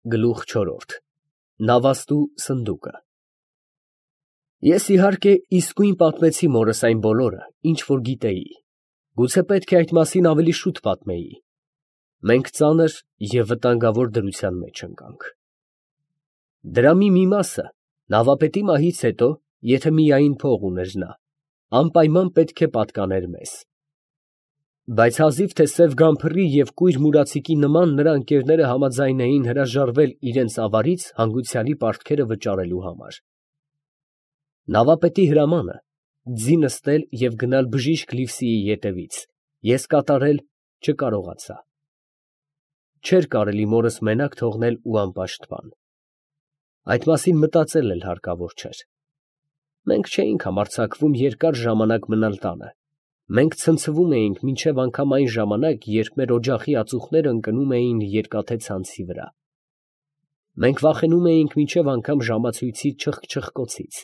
Գլուխ չորրորդ Նավաստու սնդուկը Ես իհարկե իսկույն պատմեցի մորս այն բոլորը, ինչ որ գիտեի, գուցե պետք է այդ մասին ավելի շուտ պատմեի, մենք ծանր և վտանգավոր դրության մեջ ընկանք։ Դրամի մի մասը նավապետի մահից հետո, եթե միայն փող ուներ նա, անպայման պետք է պատկաներ մեզ։ Բայց հազիվ թե սև գամփռի և կույր մուրացիկի նման նրա ընկերները համաձայն էին հրաժարվել իրենց ավարից հանգուցյալի պարտքերը վճարելու համար։ Նավապետի հրամանը ձի նստել և գնալ բժիշկ Լիվսիի ետևից ես կատարել չկարողացա։ Չէր կարելի մորս մենակ թողնել ու անպաշտպան։ Այդ մասին մտածել էլ հարկավոր չէր։ Մենք չէինք համարձակվում երկար ժամանակ մնալ տանը, մենք ցնցվում էինք մինչև անգամ այն ժամանակ, երբ մեր օջախի ածուխները ընկնում էին երկաթե ցանցի վրա։ Մենք վախենում էինք մինչև անգամ ժամացույցի չխկչխկոցից։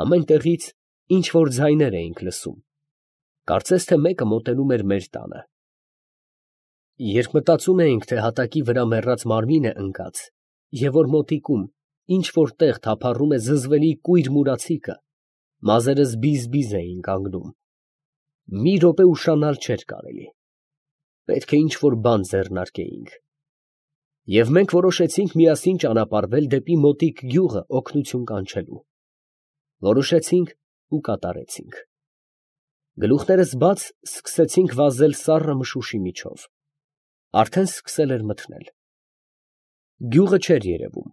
Ամեն տեղից ինչ որ ձայներ էինք լսում, կարծես թե մեկը մոտենում էր մեր տանը։ Երբ մտածում էինք, թե հատակի վրա մեռած մարմին է ընկած, և որ մոտիկում ինչ որ տեղ թափառում է զզվելի կույր մուրացիկը, մազերս բիզ էին կանգնում։ Մի րոպե ուշանալ չէր կարելի, պետք է ինչ որ բան ձեռնարկեինք։ Եվ մենք որոշեցինք միասին ճանապարհվել դեպի մոտիկ գյուղը օգնություն կանչելու։ Որոշեցինք ու կատարեցինք։ Գլուխներս բաց սկսեցինք վազել սառը մշուշի միջով։ Արդեն սկսել էր մթնել։ Գյուղը չէր երևում,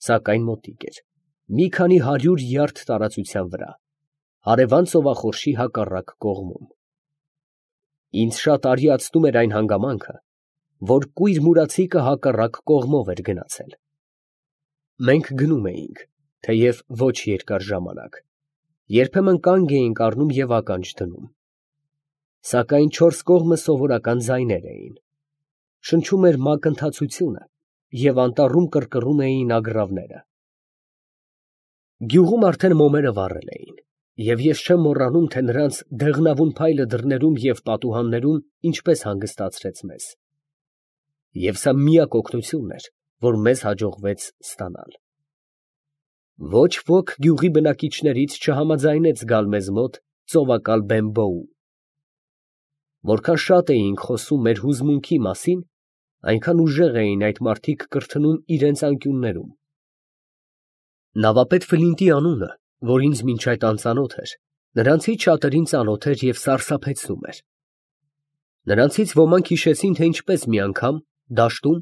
սակայն մոտիկ էր, մի քանի 100 յարդ տարածության վրա, հարևան ծովախորշի հակառակ կողմում։ Ինձ շատ արիացնում էր այն հանգամանքը, որ կույր մուրացիկը հակառակ կողմով էր գնացել։ Մենք գնում էինք, թեև ոչ երկար ժամանակ, երբեմն կանգ էինք առնում և ականջ դնում։ Սակայն չորս կողմը սովորական ձայներ էին, շնչում էր մակընթացությունը և անտառում կռկռում էին ագռավները։ Գյուղում արդեն մոմերը վառել էին, և ես չեմ մոռանում, թե նրանց դեղնավուն փայլը դռներում և պատուհաններում ինչպես հանգստացրեց մեզ։ Եվ սա միակ օգնությունն էր, որ մեզ հաջողվեց ստանալ։ Ոչ ոք գյուղի բնակիչներից չհամաձայնեց գալ մեզ մոտ ծովակալ Բեմբոու։ Որքան շատ էինք խոսում մեր հուզմունքի մասին, այնքան ուժեղ էին այդ մարդիկ կրթնում իրենց անկյուններում։ Նավապետ Ֆլինտի անունը, որ ինձ մինչ այդ անծանոթ էր, նրանցից շատերին ծանոթ էր և սարսափեցնում էր։ Նրանցից ոմանք հիշեցին, թե ինչպես մի անգամ, դաշտում,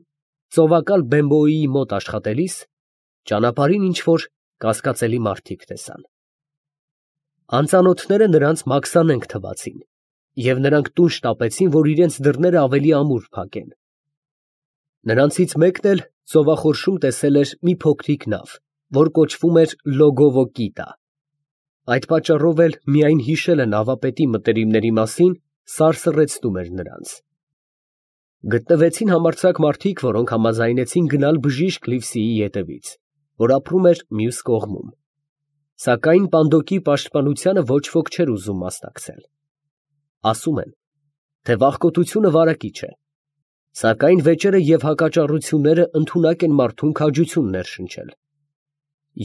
ծովակալ Բեմբոյի մոտ աշխատելիս, ճանապարհին ինչ որ կասկածելի մարդիկ տեսան։ Անծանոթները նրանց մաքսանենգ թվացին, և նրանք տուն շտապեցին, որ իրենց դռները ավելի ամուր փակեն։ Նրանցից մեկն էլ ծովախորշում տեսել էր մի փոքրիկ նավ, որ կոչվում էր Լոգովո կիտա։ Այդ պատճառով էլ միայն հիշելը նավապետի մտերիմների մասին սարսռեցնում էր նրանց։ Գտնվեցին համարձակ մարդիկ, որոնք համաձայնեցին գնալ բժիշկ Լիվսիի ետևից, որ ապրում էր մյուս կողմում։ Սակայն Պանդոկի պաշտպանությանը ոչ ոք չէր ուզում մասնակցել։ Ասում են, թե վախկոտությունը վարակիչ է, սակայն վեճերը և հակաճառությունները ընդունակ են մարդուն քաջություն ներշնչել։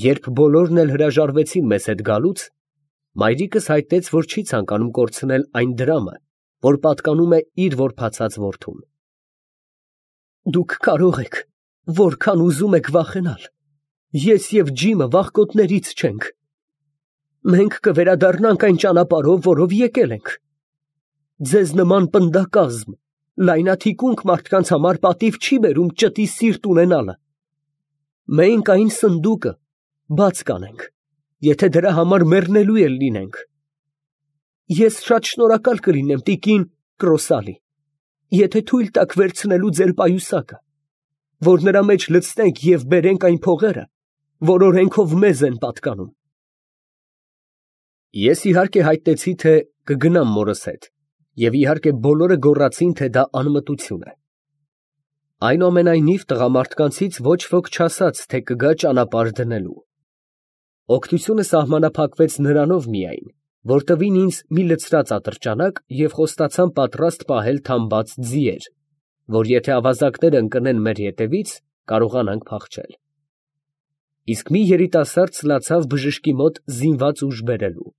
Երբ բոլորն էլ հրաժարվեցին մեզ հետ գալուց, մայրիկս հայտնեց, որ չի ցանկանում կորցնել այն դրամը, որ պատկանում է իր որբացած որդուն։ Դուք կարող եք, որքան ուզում եք վախենալ, ես և Ջիմը վախկոտներից չենք։ Մենք կվերադառնանք այն ճանապարհով, որով եկել ենք։ Ձեզ նման պնդակազմ, լայնաթիկունք մարդկանց համար պատիվ չի բերում ճտի սիրտ ունենալը։ Մենք այն սնդուկը բաց կանենք, եթե դրա համար մեռնելու էլ լինենք։ Ես շատ շնորհակալ կլինեմ տիկին Կրոսալի, եթե թույլ տաք վերցնելու ձեր պայուսակը, որ նրա մեջ լցնենք և բերենք այն փողերը, որ օրենքով մեզ են պատկանում։ Ես իհարկե հայտնեցի, թե կգնամ մորս հետ, և իհարկե բոլորը գոռացին, թե դա անմտություն է։ Այնուամենայնիվ տղամարդկանցից ոչ ոք չասաց, թե կգա ճանապարհ դնելու։ Օգնությունը սահմանափակվեց նրանով միայն, որ տվին ինձ մի լցրած ատրճանակ և խոստացան պատրաստ պահել թամբած ձիեր, որ եթե ավազակները ընկնեն մեր ետևից, կարողանանք փախչել։ Իսկ մի երիտասարդ սլացավ բժշկի մոտ զինված ուժ բերելու։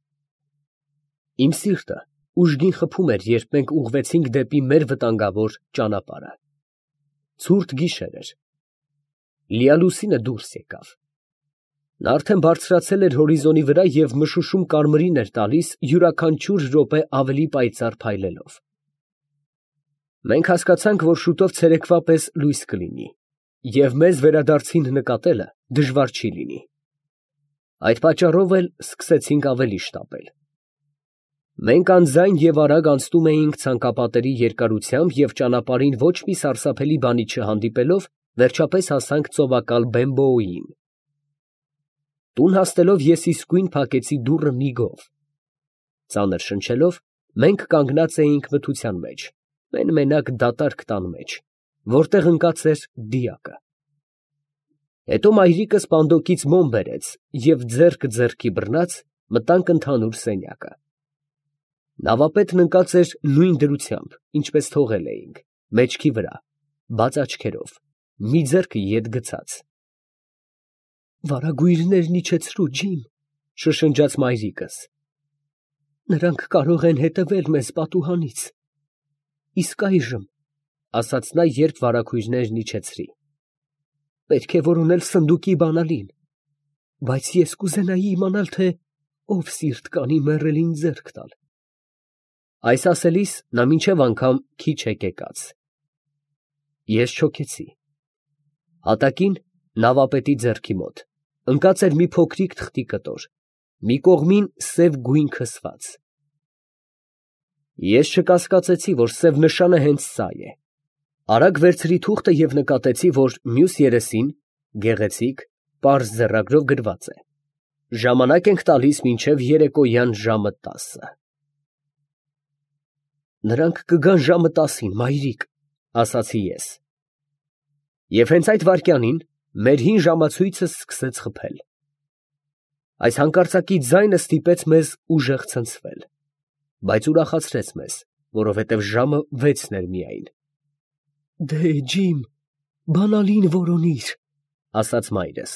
Իմ սիրտը ուժգին խփում էր, երբ մենք ուղղվեցինք դեպի մեր վտանգավոր ճանապարհը։ Ցուրտ գիշեր էր։ Լիալուսինը դուրս եկավ։ Նա արդեն բարձրացել էր հորիզոնի վրա և մշուշում կարմիրին էր տալիս յուրաքանչյուր րոպե ավելի պայծառ փայլելով։ Մենք հասկացանք, որ շուտով ցերեկվա պես լույս կլինի, և մեզ վերադարձին նկատելը դժվար չի լինի։ Այդ պատճառով էլ սկսեցինք ավելի շտապել։ Մենք անձայն և արագ անցնում էինք ցանկապատերի երկարությամբ և ճանապարհին ոչ մի սարսափելի բանի չհանդիպելով, վերջապես հասանք ծովակալ Բեմբոուին։ Տուն հասնելով ես իսկույն փակեցի դուռը միգով։ Ծանր շնչելով, մենք կանգնած էինք մթության մեջ, մեն֊մենակ դատարկ տան մեջ, որտեղ ընկած էր դիակը։ Հետո մայրիկս պանդոկից մոմ բերեց և ձեռքը ձեռքի բռնած մտանք ընդհանուր սենյակը։ Նավապետն ընկած էր նույն դրությամբ, ինչպես թողել էինք, մեջքի վրա, բաց աչքերով, մի ձեռքը ետ գցած։ «Վարագույրներն իջեցրու, ջիմ», շշնջաց մայրիկս։ «Նրանք կարող են հետևել մեզ պատուհանից»։ «Իսկ այժմ», ասաց նա, երբ վարագույրներն իջեցրի, «պետք է որոնել սնդուկի բանալին, բայց ես կուզենայի իմանալ, թե ով սիրտ կանի մեռելին ձեռք տալ»։ Այս ասելիս նա մինչև անգամ քիչ հեկեկաց։ Ես չոքեցի։ Հատակին, նավապետի ձեռքի մոտ, ընկած էր մի փոքրիկ թղթի կտոր, մի կողմին սև գույն քսված։ Ես չկասկածեցի, որ սև նշանը հենց սա է։ Արագ վերցրի թուղթը և նկատեցի, որ մյուս երեսին, գեղեցիկ, պարզ ձեռագրով գրված է. «Ժամանակ ենք տալիս մինչև երեկոյան ժամը 10»։ «Նրանք կգան ժամը 10-ին, մայրիկ», ասացի ես։ Եվ հենց այդ վայրկյանին մեր հին ժամացույցը սկսեց խփել։ Այս հանկարծակի ձայնը ստիպեց մեզ ուժեղ ցնցվել, բայց ուրախացրեց մեզ, որովհետև ժամը 6-ն էր միայն։ «Դե, ջիմ, բանալին որոնիր», ասաց մայրս։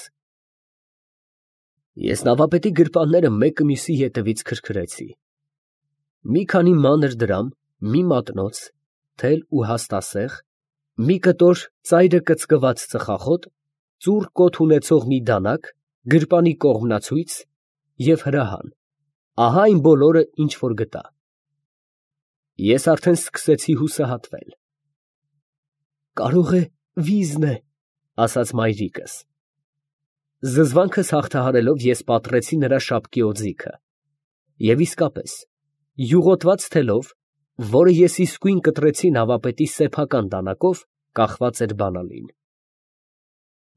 Ես նավապետի գրպանները մեկը մյուսի ետևից քրքրեցի։ Մի քանի մանր դրամ, մի մատնոց, թել ու հաստասեղ, մի կտոր ծայրը կծկված ծխախոտ, ծուռ կոթ ունեցող մի դանակ, գրպանի կողմնացույց և հրահան, ահա այն բոլորը, ինչ որ գտա։ Ես արդեն սկսեցի հուսահատվել։ «Կարող է վիզն է», ասաց մայրիկս։ Զզվանքս հաղթահարելով ես պատռեցի նրա շապկի օձիքը, և իսկապես, յուղոտված թելով, որը ես իսկույն կտրեցի նավապետի սեփական դանակով, կախված էր բանալին։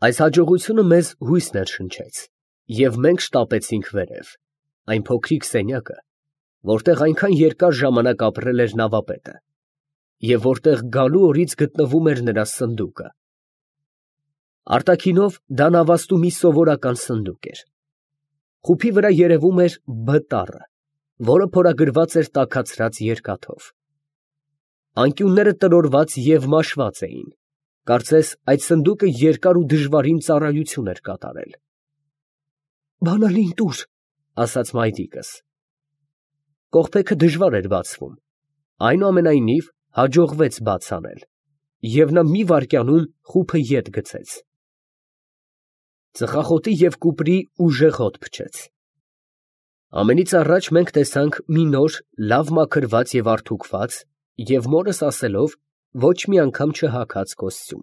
Այս հաջողությունը մեզ հույս ներշնչեց, և մենք շտապեցինք վերև, այն փոքրիկ սենյակը, որտեղ այնքան երկար ժամանակ ապրել էր նավապետը, և որտեղ գալու օրից գտնվում էր նրա սնդուկը։ Արտաքինով դա նավաստու մի սովորական սնդուկ էր։ Խուփի վրա երևում էր «Բ» տառը, որը փորագրված էր տաքացրած երկաթով։ Անկյունները տրորված և մաշված էին, կարծես այդ սնդուկը երկար ու դժվարին ծառայություն էր կատարել։ «Բանալին տուր», ասաց մայրիկս։ Կողպեքը դժվար էր բացվում, այնուամենայնիվ հաջողվեց բաց անել, և նա մի վայրկյանում խուփը ետ գցեց։ Ծխախոտի և կուպրի ուժեղ հոտ փչեց։ Ամենից առաջ մենք տեսանք մի նոր, լավ մաքրված և արդուկված և մորս ասելով ոչ մի անգամ չհագած կոստյում։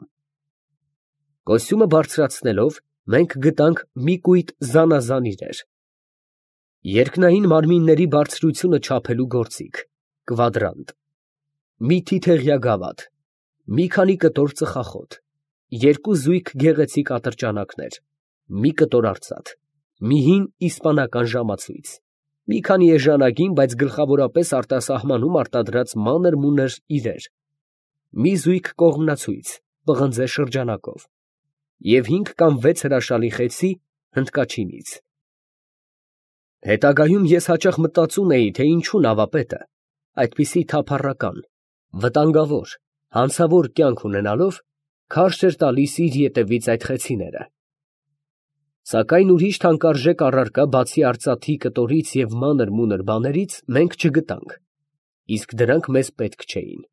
Կոստյումը բարձրացնելով, մենք գտանք մի կույտ զանազան իրեր. երկնային մարմինների բարձրությունը չափելու գործիք, կվադրանտ, մի թիթեղյա գավաթ, մի քանի կտոր ծխախոտ, երկու զույգ գեղեցիկ ատրճանակներ, մի կտոր արծաթ, մի հին իսպանական ժամացույց, մի քանի էժանագին, բայց գլխավորապես արտասահմանում արտադրած մանր֊մունր իրեր, մի զույգ կողմնացույց, պղնձե շրջանակով և 5 կամ 6 հրաշալի խեցի հնդկաչինից։ Հետագայում ես հաճախ մտածում էի, թե ինչու նավապետը, այդպիսի թափառական, վտանգավոր, հանցավոր կյանք ունենալով, քարշ էր տալիս իր ետևից այդ խեցիները։ Սակայն ուրիշ թանկարժեք առարկա, բացի արծաթի կտորից և մանր-մունր բաներից, մենք չգտանք, իսկ դրանք մեզ պետք չէին։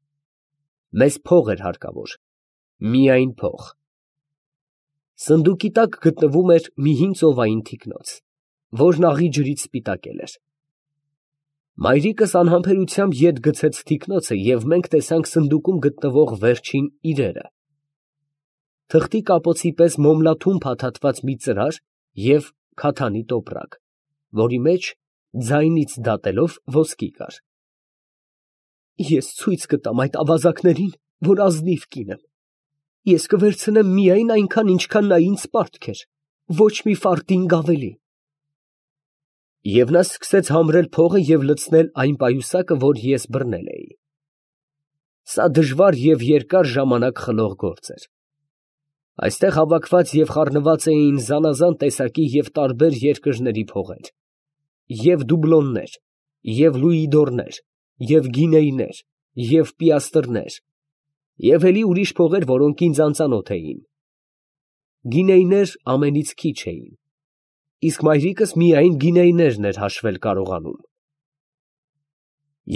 Մեզ փող էր հարկավոր, միայն փող։ Սնդուկի տակ գտնվում էր մի հին ծովային թիկնոց, որն աղի ջրից սպիտակել էր։ Մայրիկս անհամբերությամբ ետ գցեց թիկնոցը, և մենք տեսանք սնդուկում գտնվող վերջին իրերը. թղթի կապոցի պես մոմլաթում փաթաթված մի ծրար և քաթանի տոպրակ, որի մեջ ձայնից դատելով ոսկի կար։ Ես ցույց կտամ այդ ավազակներին, որ ազնիվ կին եմ։ Ես կվերցնեմ միայն այնքան, ինչքան նա ինձ պարտք էր, ոչ մի ֆարտինգ ավելի։ Եվ նա սկսեց համրել փողը և լցնել այն պայուսակը, որ ես բռնել էի։ Սա դժվար և երկար ժամանակ խլող գործ էր։ Այստեղ հավաքված և խառնված էին զանազան տեսակի և տարբեր երկրների փողեր, և դուբլոններ, և լուիդորներ, և գինեյներ, և պիաստրներ, և էլի ուրիշ փողեր, որոնք ինձ անծանոթ էին։ Գինեյներ ամենից քիչ էին, իսկ մայրիկս միայն գինեյներն էր հաշվել կարողանում։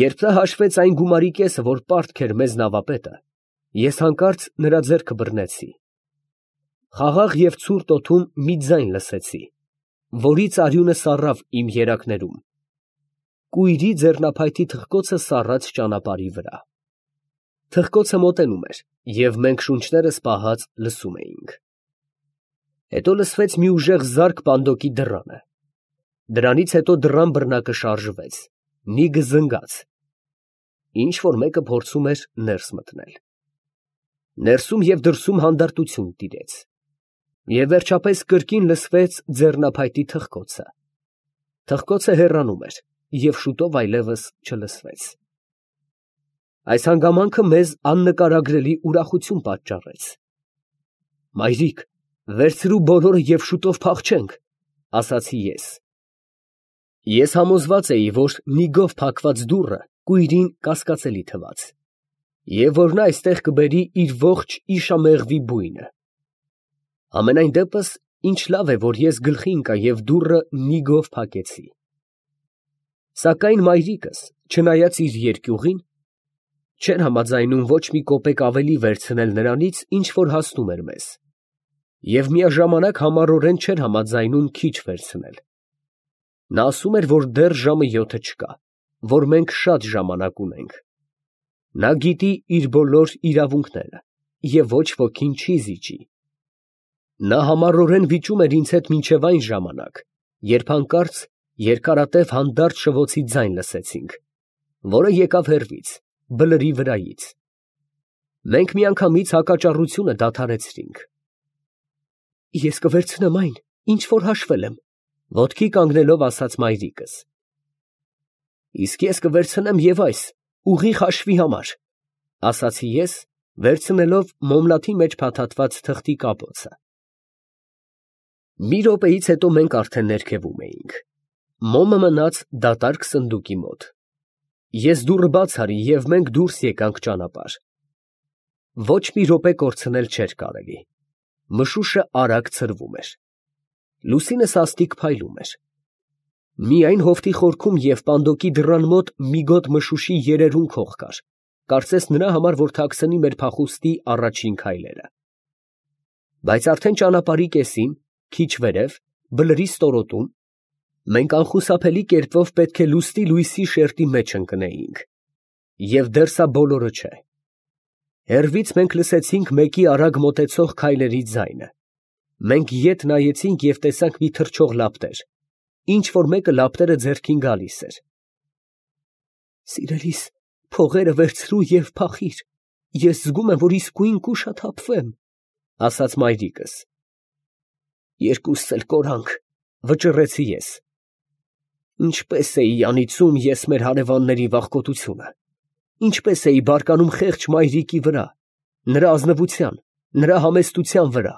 Երբ նա հաշվեց այն գումարի կեսը, որ պարտք էր մեզ նավապետը, ես հանկարծ նրա ձեռքը բռնեցի։ Խաղաղ և ցուրտ օդում մի ձայն լսեցի, որից արյունը սառավ իմ երակներում։ Կույրի ձեռնափայտի թխկոցը սառած ճանապարհի վրա։ Թխկոցը մոտենում էր, և մենք շունչներս պահած լսում էինք։ Հետո լսվեց մի ուժեղ զարկ պանդոկի դռանը։ Դրանից հետո դռան բռնակը շարժվեց, նիգը զնգաց։ Ինչ֊որ մեկը փորձում էր ներս մտնել։ Ներսում և դրսում հանդարտություն տիրեց։ Եվ վերջապես կրկին լսվեց ձեռնափայտի թխկոցը։ Թխկոցը հեռանում էր, և շուտով այլևս չլսվեց։ Այս հանգամանքը մեզ աննկարագրելի ուրախություն պատճառեց։ «Մայրիկ, վերցրու բոլորը և շուտով փախչենք», ֊ ասացի ես։ Ես համոզված էի, որ նիգով փակված դուռը կույրին կասկածելի թվաց, և որ նա այստեղ կբերի իր ողջ իշամեղվի բույնը։ Համենայն դեպս, ինչ լավ է, որ ես գլխի ընկա և դուռը նիգով փակեցի։ Սակայն մայրիկս, չնայած իր երկյուղին, չէր համաձայնում ոչ մի կոպեկ ավելի վերցնել նրանից, ինչ որ հասնում էր մեզ, և միաժամանակ համառորեն չէր համաձայնում քիչ վերցնել։ Նա ասում էր, որ դեռ ժամը 7-ը չկա, որ մենք շատ ժամանակ ունենք։ Նա գիտի իր բոլոր իրավունքները և ոչ ոքին չի զիջի։ Նա համառորեն վիճում էր ինձ հետ մինչև այն ժամանակ, երբ հանկարծ երկարատև հանդարտ շվոցի ձայն լսեցինք, որը եկավ հեռվից, բլրի վրայից։ Մենք միանգամից հակաճառությունը դադարեցրինք։ Ես կվերցնեմ այն, ինչ որ հաշվել եմ, ոտքի կանգնելով ասաց մայրիկս։ Իսկ ես կվերցնեմ և այս, ուղիղ հաշվի համար, ասացի ես, վերցնելով մոմլաթի մեջ փաթաթված թղթի կապոցը։ Մի րոպեից հետո մենք արդեն ներքևում էինք։ Մոմը մնաց դատարկ սնդուկի մոտ։ Ես դուռը բաց արի, և մենք դուրս եկանք ճանապարհ։ Ոչ մի րոպե կորցնել չէր կարելի։ Մշուշը արագ ցրվում էր։ Լուսինը սաստիկ փայլում էր։ Միայն հովտի խորքում և պանդոկի դռան մոտ մի գոտ մշուշի երերուն քող կար, կարծես նրա համար, որ թաքցնի մեր փախուստի առաջին քայլերը։ Բայց արդեն ճանապարհի կեսին, քիչ վերև, բլրի ստորոտում, մենք անխուսափելի կերպով պետք է լուստի լույսի շերտի մեջ ընկնեինք։ Եվ դեռ սա բոլորը չէ։ Հեռվից մենք լսեցինք մեկի արագ մոտեցող քայլերի ձայնը։ Մենք ետ նայեցինք և տեսանք մի թռչող լապտեր, ինչ որ մեկը լապտերը ձեռքին գալիս էր։ Սիրելիս, փողերը վերցրու և փախիր, ես զգում եմ, որ իսկույն կուշաթափվեմ, ասաց մայրիկս։ Երկուսս էլ կորանք, վճռեցի ես։ Ինչպես էի անիծում ես մեր հարևանների վախկոտությունը, ինչպես էի բարկանում խեղճ մայրիկի վրա, նրա ազնվության, նրա համեստության վրա։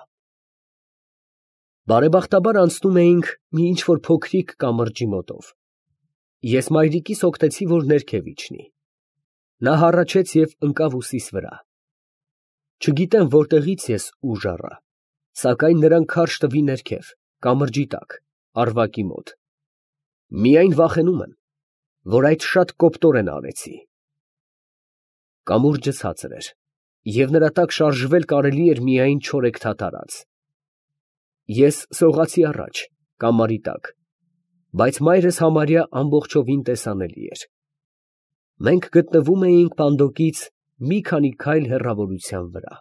Բարեբախտաբար անցնում էինք մի ինչ֊որ փոքրիկ կամրջի մոտով։ Ես մայրիկիս օգնեցի, որ ներքև իջնի։ Նա հառաչեց և ընկավ ուսիս վրա։ Չգիտեմ որտեղից ես ուժ առա, սակայն նրան քարշ տվի ներքև, կամրջի տակ, առվակի մոտ. միայն վախենում եմ, որ այդ շատ կոպտորեն արեցի։ Կամուրջը ցածր էր, և նրա տակ շարժվել կարելի էր միայն չորեքթաթարած։ Ես սողացի առաջ, կամարի տակ, բայց մայրս համարյա ամբողջովին տեսանելի էր։ Մենք գտնվում էինք պանդոկից մի քանի քայլ հեռավորության վրա։